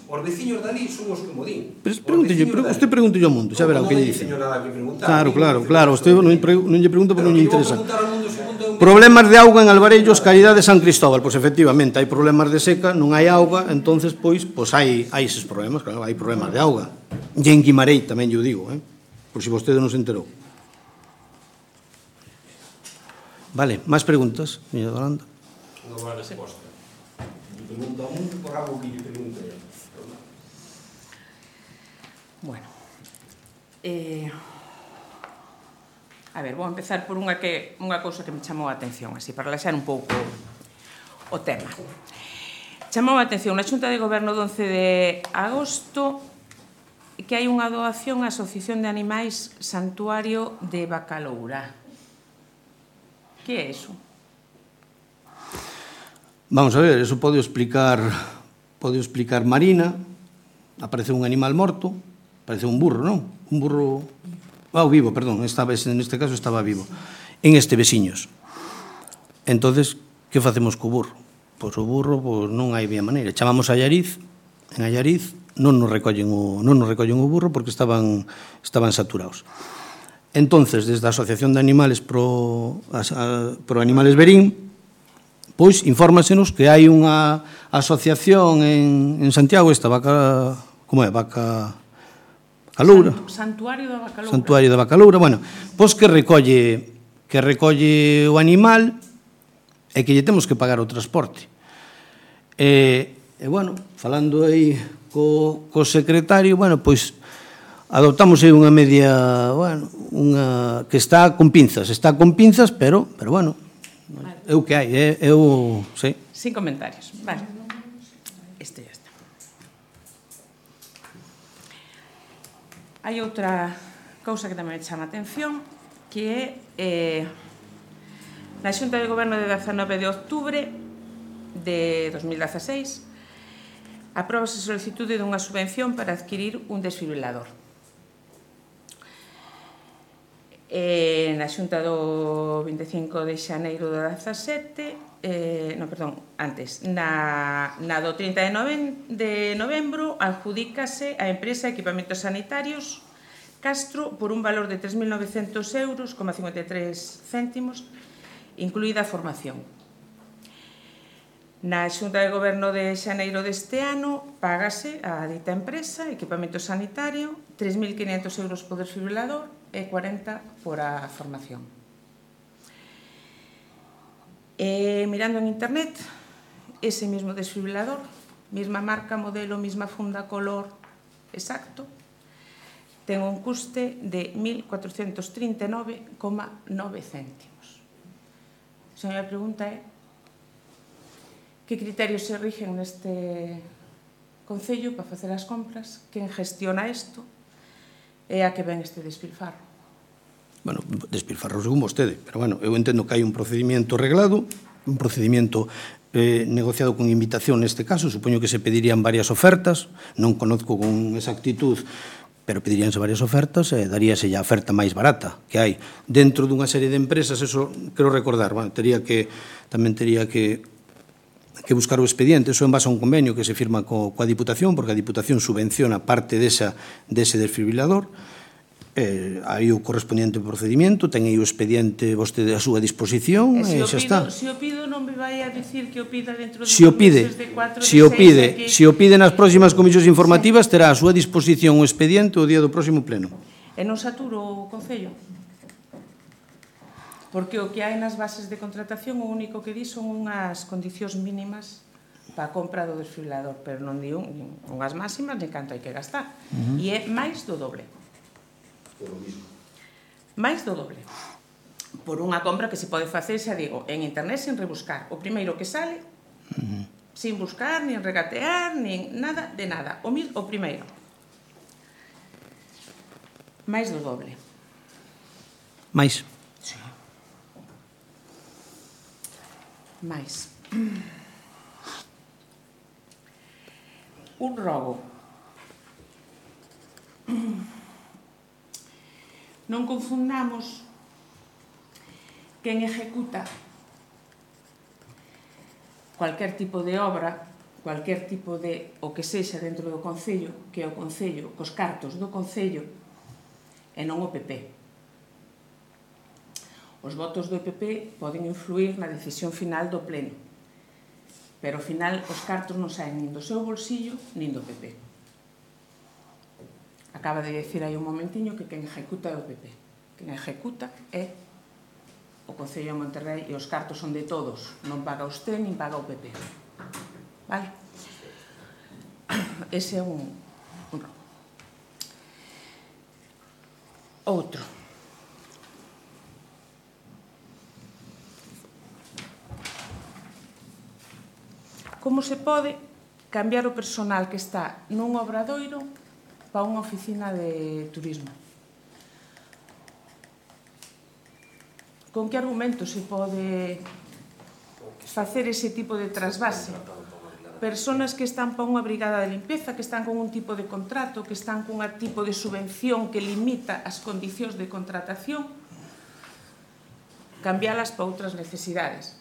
Os veciños dali son os que mo din. Usted pregúntelle ao mundo, xa verá o que lle dice. Non teño nada que preguntar. Claro. Usted non lle pregunta porque non lle interesa. Preguntar ao mundo se o mundo é un... Problemas de auga en Alvarellos, Caridade de San Cristóbal. Pois efectivamente, hai problemas de seca, non hai auga, entonces pois hai eses problemas, claro, hai problemas de auga. E en Guimarei tamén lle digo, por si vostede non se enterou. Vale, máis preguntas, señora Dolanda? Non vai a resposta. Lle pregunto ao mundo por algo que lle pregunto eu. Bueno, a ver, vou empezar por unha cousa que me chamou a atención, así, para relaxar un pouco o tema. Chamou a atención na Xunta de Goberno do 11 de agosto que hai unha doación á Asociación de Animais Santuario de Bacaloura. Que é iso? Vamos a ver, eso pode explicar Marina. Apareceu un animal morto, apareceu un burro, non? Un burro... vivo, perdón, neste caso estaba vivo. En este veciños. Entonces, que facemos co burro? Pois o burro non hai vía maneira. Chamamos a Allariz, en Allariz non nos recollen o burro porque estaban saturados. Entonces, desde a Asociación de Animales pro Animales Verín, pois infórmasenos que hai unha asociación en Santiago, esta vaca, como é? Vaca Caloura. Santuario da Bacaloura. Santuario da Bacaloura, bueno, pois que recolle o animal e que lle temos que pagar o transporte. E bueno, falando aí co secretario, bueno, pois adoptamos aí unha media, bueno, unha que está con pinzas, pero bueno, é o que hai, sí. Sin comentarios, vale. Isto ya está. Hai outra cousa que tamén me chama a atención, que é na Xunta de Goberno de 19 de outubro de 2016 apróbase a solicitude dunha subvención para adquirir un desfibrilador. Na Xunta do 25 de xaneiro do 17, na do 30 de novembro adjudícase a empresa Equipamentos Sanitarios Castro por un valor de 3.900 euros, 53 céntimos, incluída a formación. Na Xunta de Goberno de xaneiro deste ano págase a dita empresa Equipamentos Sanitario 3.500 euros por desfibrilador e 40 por a formación. Mirando en internet, ese mismo desfibrilador, mesma marca, modelo, mesma funda, color exacto, ten un custe de 1.439,9 céntimos. A miña pregunta é que criterios se rigen neste concello para facer as compras, quen gestiona isto e a que ven este despilfarro. Bueno, despilfarro según vostede, pero bueno, eu entendo que hai un procedimento reglado, un procedimento negociado con invitación neste caso, supoño que se pedirían varias ofertas, non conozco con exactitud pero pediríanse varias ofertas e daríase a oferta máis barata que hai. Dentro dunha serie de empresas, eso quero recordar, tamén tería que buscar o expediente, eso en base a un convenio que se firma coa Diputación, porque a Diputación subvenciona parte dese desfibrilador, hai o correspondiente procedimento, ten aí o expediente vostede a súa disposición e xa está. Se o pido non me vai a dicir que o pida dentro de meses de 4 de 6. Se o pide nas próximas comisións informativas, terá a súa disposición o expediente o día do próximo pleno. E non saturo o Concello? Porque o que hai nas bases de contratación o único que di son unhas condicións mínimas para a compra do desfibrilador, pero non di unhas máximas ni canto hai que gastar. E é máis do doble. Máis do doble. Por unha compra que se pode facer, xa digo, en internet sin rebuscar. O primeiro que sale, sin buscar, nin regatear, nin nada de nada. O primeiro. Máis do doble. Mais. Sí. Mais. Un robo. Non confundamos quen ejecuta cualquier tipo de obra, cualquier tipo de o que sexa dentro do Concello, que é o Concello, cos cartos do Concello, e non o PP. Os votos do PP poden influir na decisión final do Pleno, pero ao final os cartos non saen nin do seu bolsillo nin do PP. Acaba de decir aí un momentiño que quen ejecuta é o PP. Quen ejecuta é o Concello de Monterrei e os cartos son de todos. Non paga usted nin paga o PP. Vale? Ese é un robo. Outro. Como se pode cambiar o personal que está nun obradoiro para unha oficina de turismo? Con que argumento se pode facer ese tipo de trasvase? Personas que están para unha brigada de limpeza, que están con un tipo de contrato, que están con un tipo de subvención que limita as condicións de contratación, cambialas para outras necesidades.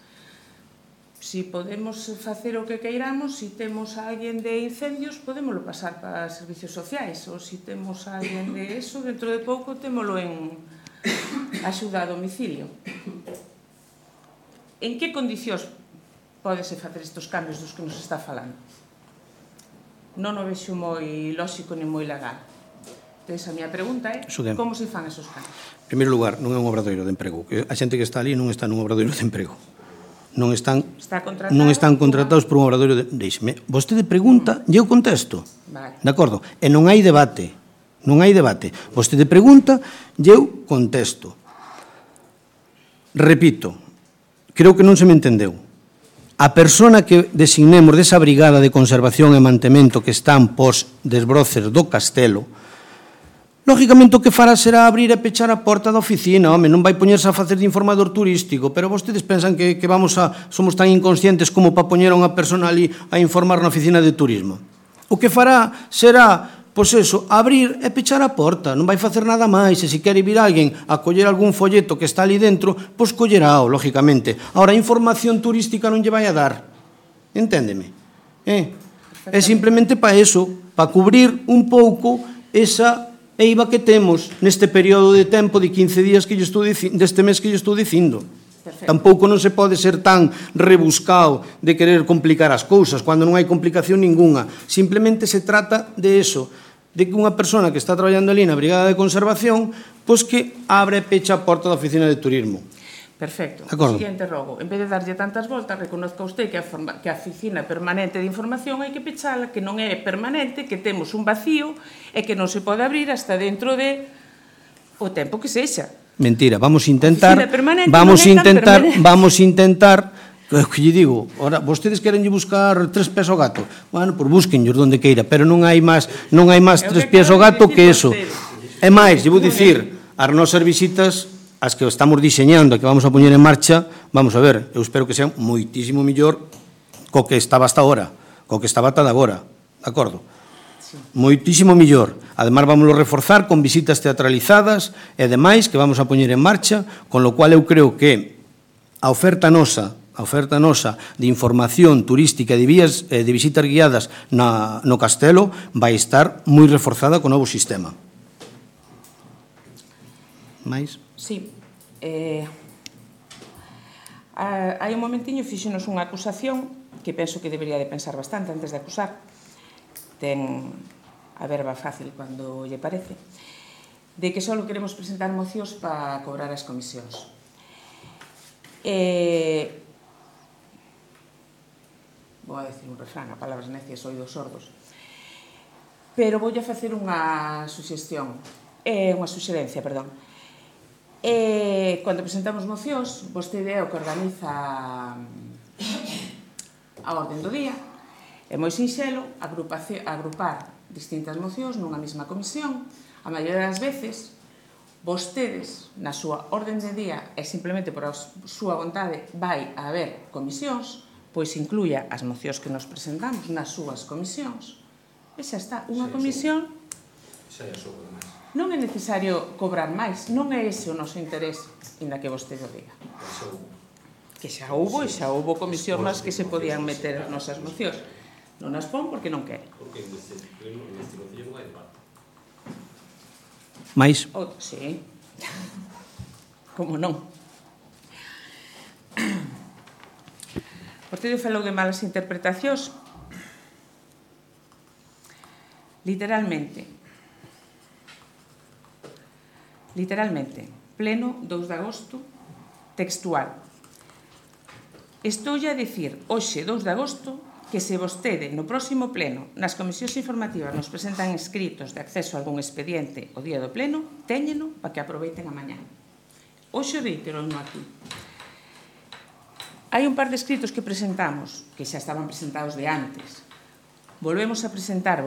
Si podemos facer o que queiramos, si temos a alguén de incendios, podémoslo pasar para servicios sociais, ou si temos a alguén de eso, dentro de pouco témolo en axuda a domicilio. En que condicións pódese facer estes cambios dos que nos está falando? Non o vexo moi lóxico ni moi legal. Entón, a minha pregunta é como se fan esos cambios? En primeiro lugar, non é un obradoiro de emprego. A xente que está ali non está nun obradoiro de emprego. Non están contratados por un obradoiro de... Deixeme, vostede pregunta e eu contesto. Vale. De acordo? E non hai debate. Non hai debate. Vostede pregunta e eu contesto. Repito, creo que non se me entendeu. A persona que designemos desa brigada de conservación e mantemento que están pos desbroces do castelo, lógicamente o que fará será abrir e pechar a porta da oficina, home, non vai poñerse a facer de informador turístico, pero vostedes pensan que somos tan inconscientes como para poñer a unha persona ali a informar na oficina de turismo. O que fará será, pois eso, abrir e pechar a porta, non vai facer nada máis, e se quere vir alguén a coller algún folleto que está ali dentro, pois collerao, lógicamente. Ahora, a información turística non lle vai a dar, enténdeme? É simplemente para eso, para cubrir un pouco esa eiva que temos neste período de tempo de 15 días que deste mes que lle estou dicindo. Perfecto. Tampouco non se pode ser tan rebuscado de querer complicar as cousas, cando non hai complicación ninguna. Simplemente se trata de eso, de que unha persona que está traballando ali na brigada de conservación, pois que abre e pecha a porta da oficina de turismo. Perfecto. O siguiente rogo. En vez de darlle tantas voltas, reconozca usted que a oficina permanente de información hai que pechala, que non é permanente, que temos un vacío e que non se pode abrir hasta dentro de o tempo que sexa. Mentira, vamos a intentar, que lle digo, ora, vostedes querenlle buscar 3 pés ao gato, bueno, por búsquenllos donde queira, pero non hai máis 3 pés ao gato que eso. É máis, lle vou dicir, as nosas visitas, as que estamos diseñando, que vamos a poñer en marcha, vamos a ver, eu espero que sean moitísimo mellor co que estaba hasta agora, co que estaba ata de agora, de acordo? Moitísimo millor. Ademais, vámoslo reforzar con visitas teatralizadas e demais que vamos a poñer en marcha, con lo cual eu creo que a oferta nosa de información turística e de visitas guiadas no Castelo vai estar moi reforzada co novo sistema. Mais? Sí. Hai un momentiño fixenos unha acusación que penso que debería de pensar bastante antes de acusar. Ten a verba fácil cando lle parece, de que só queremos presentar mocións para cobrar as comisións. Vou a decir un refrán, a palabras necias, oídos sordos. Pero voulle facer unha suxerencia, perdón. Cando presentamos mocións, vostede é o que organiza a orden do día. É moi sinxelo agrupar distintas mocións nunha mesma comisión. A maioría das veces, vostedes, na súa orden de día, e simplemente por a súa vontade, vai a haber comisións, pois incluya as mocións que nos presentamos nas súas comisións. E xa está, unha comisión... Non é necesario cobrar máis, non é ese o noso interés, inda que vostede o diga. Que xa houbo e xa houbo comisións nas que se podían meter as nosas mocións. Non as pon porque non quere. Porque neste concello non hai debate. Mais? Sí. Como non? Vostede falou de malas interpretacións. Literalmente, pleno 2 de agosto, textual. Estoulle a dicir hoxe 2 de agosto que se vostede no próximo pleno nas comisións informativas nos presentan escritos de acceso a algún expediente o día do pleno, téñeno para que aproveiten a mañá. Hoxe reitero aquí. Hai un par de escritos que presentamos, que xa estaban presentados de antes. Volvemos a presentar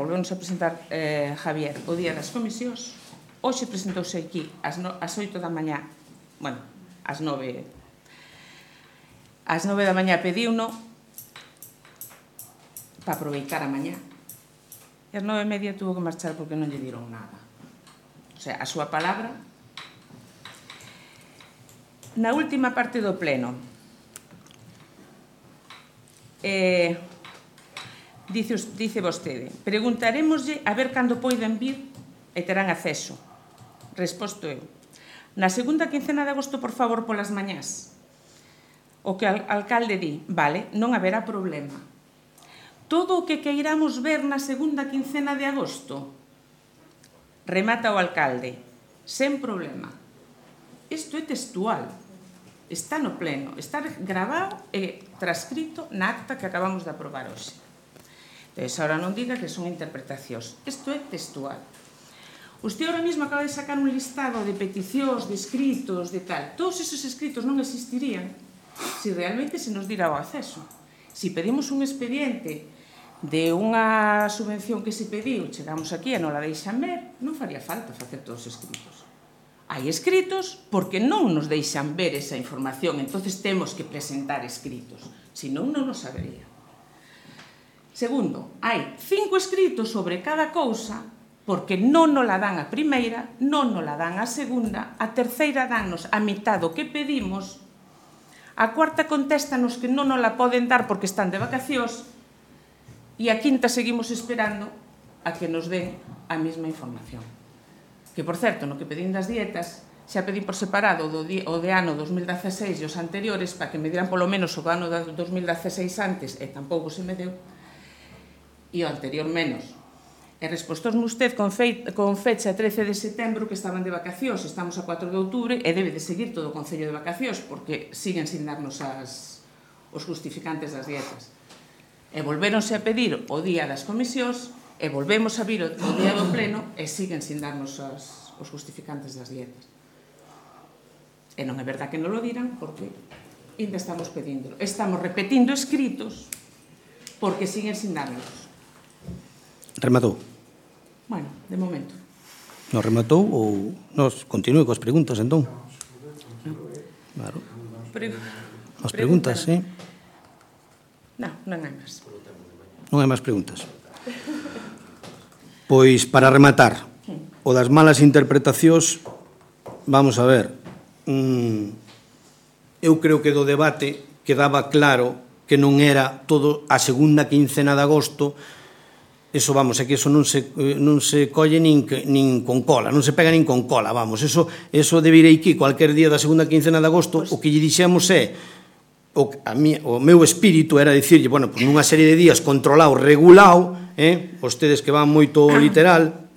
Javier, o día das comisións. Hoxe presentouse aquí ás 8 da mañá, bueno, ás 9 da mañá pediuno para aproveitar a mañá. E ás 9:30 tuvo que marchar porque non lle diron nada. O sea, a súa palabra. Na última parte do pleno, dice vostede, preguntaremoslle a ver cando poiden vir e terán acceso. Resposto eu. Na segunda quincena de agosto, por favor, polas mañás. O que o alcalde di, vale, non haberá problema. Todo o que queiramos ver na segunda quincena de agosto, remata o alcalde, sen problema. Isto é textual. Está no pleno, está grabado e transcrito na acta que acabamos de aprobar hoxe. Entón, ahora non diga que son interpretacións. Isto é textual. Usted ahora mesmo acaba de sacar un listado de peticións, de escritos, de tal. Todos esos escritos non existirían se realmente se nos dira o acceso. Se pedimos un expediente de unha subvención que se pediu, chegamos aquí e non la deixan ver, non faría falta facer todos os escritos. Hai escritos porque non nos deixan ver esa información, entonces temos que presentar escritos, senón non nos sabería. Segundo, hai 5 escritos sobre cada cousa porque non nos la dan a primeira, non nos la dan a segunda, a terceira dannos a mitad do que pedimos, a cuarta contéstanos que non nos la poden dar porque están de vacacións e a quinta seguimos esperando a que nos den a mesma información. Que, por certo, no que pedín das dietas, xa pedín por separado o de ano 2016 e os anteriores para que me dieran polo menos o ano 2016 antes, e tampouco se me deu, e o anterior menos. E respostosme usted con fecha 13 de setembro que estaban de vacacións, estamos a 4 de outubro e debe de seguir todo o Concello de vacacións porque siguen sin darnos os justificantes das dietas. E volvéronse a pedir o día das comisións e volvemos a vir o día do pleno e siguen sin darnos os justificantes das dietas. E non é verdad que non lo dirán porque ainda estamos pedíndolo. Estamos repetindo escritos porque siguen sin darnos. Rematou? Bueno, de momento. Non rematou ou nos continúe coas preguntas, entón? Claro. As preguntas, sí. Non hai máis. Non hai máis preguntas. Pois, para rematar, o das malas interpretacións, vamos a ver, eu creo que do debate quedaba claro que non era todo a segunda quincena de agosto. Eso, vamos, é que eso non se colle nin con cola, non se pega nin con cola, vamos. Eso debe ir aquí cualquier día da segunda quincena de agosto. O que lle dixemos é, o meu espírito era dicirlle, bueno, pues nunha serie de días controlado, regulado, vostedes que van moito literal,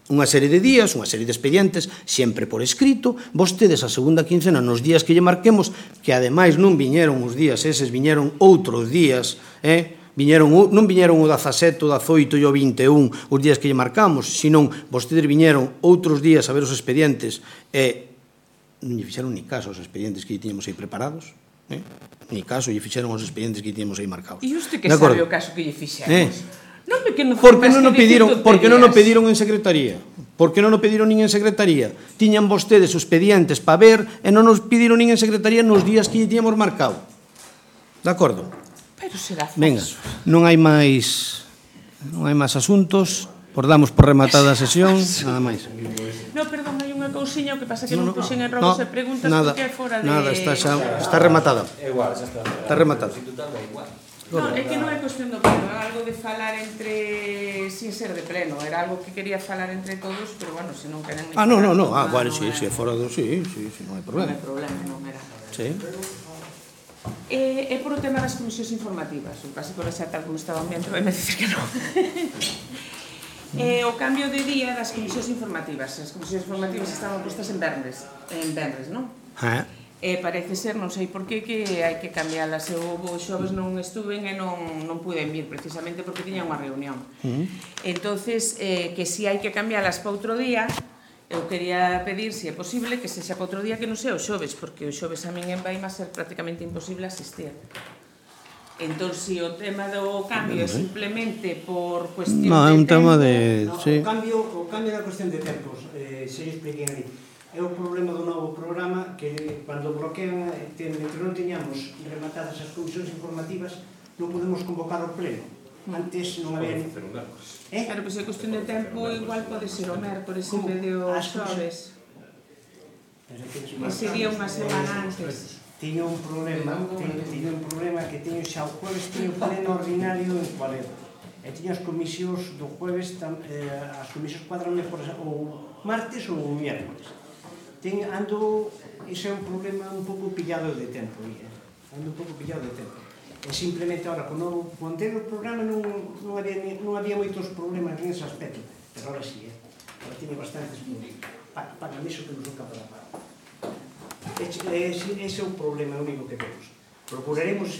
unha serie de días, unha serie de expedientes, sempre por escrito, vostedes a segunda quincena nos días que lle marquemos, que ademais non viñeron os días eses, viñeron outros días, non viñeron o 17, o 18 e o 21 os días que lle marcamos, senón vostedes viñeron outros días a ver os expedientes e non lle fixeron ni caso aos expedientes que lle tiñamos aí preparados, ni caso lle fixeron aos expedientes que lle tiñamos aí marcados. E usted que sabe o caso que lle fixemos? Porque non o pediron en secretaría. Porque non o pediron nin en secretaría. Tiñan vostedes os expedientes para ver e non nos pediron nin en secretaría nos días que lle tiñamos marcado. De acordo? Pero será falso. Venga, non hai máis asuntos. Damos por rematada a sesión, nada máis. No, perdón, hai unha cousiña, o que pasa que non puxen en robos e preguntas porque é fora de... Nada, está rematada. É igual, xa está. Está rematada. No, é que non é cuestión do pleno, é algo de falar sin ser de pleno, era algo que quería falar entre todos, pero bueno, se non queren... No, bueno, sí, fora do... Sí, non hai problema. Non hai problema, non era. Sí. É por o tema das comisións informativas, o caso por esa tal como estaba o ambiente, vai me dicir que non. O cambio de día das comisións informativas. As comisións informativas estaban postas en venres, non? Parece ser, non sei por qué, que hai que cambialas. Eu o xoves non estuven e non puden vir precisamente porque tiña unha reunión. Entonces, que si hai que cambialas para outro día, eu quería pedir, se é posible, que sexa para outro día que non sea o xoves, porque o xoves a min en Baima ser prácticamente imposible asistir. Entón, se o tema do cambio é simplemente por cuestión de tempo... No, é un tema de... O cambio da cuestión de tempos, se lle expliquei aí. É o problema do novo programa que cando bloquean, entre non teñamos rematadas as comisións informativas, non podemos convocar o pleno. Antes non había... Claro, pois é cuestión de tempo, igual pode ser o mércores en vez de o xoves. Sería unha semana antes. Tiño un problema que teño xa o jueves, teño pleno ordinario en Cualero. E tiño as comisións do jueves, as comisións cuadranme o martes ou o miércoles. Ese é un problema un pouco pillado de tempo, ando un pouco pillado de tempo. E simplemente ahora, con o anterior programa non había moitos problemas nese aspecto, pero ahora sí, ahora tiene bastantes problemas. Pagan iso que non son capaz de pagar. Ese é o problema único que temos. Procuraremos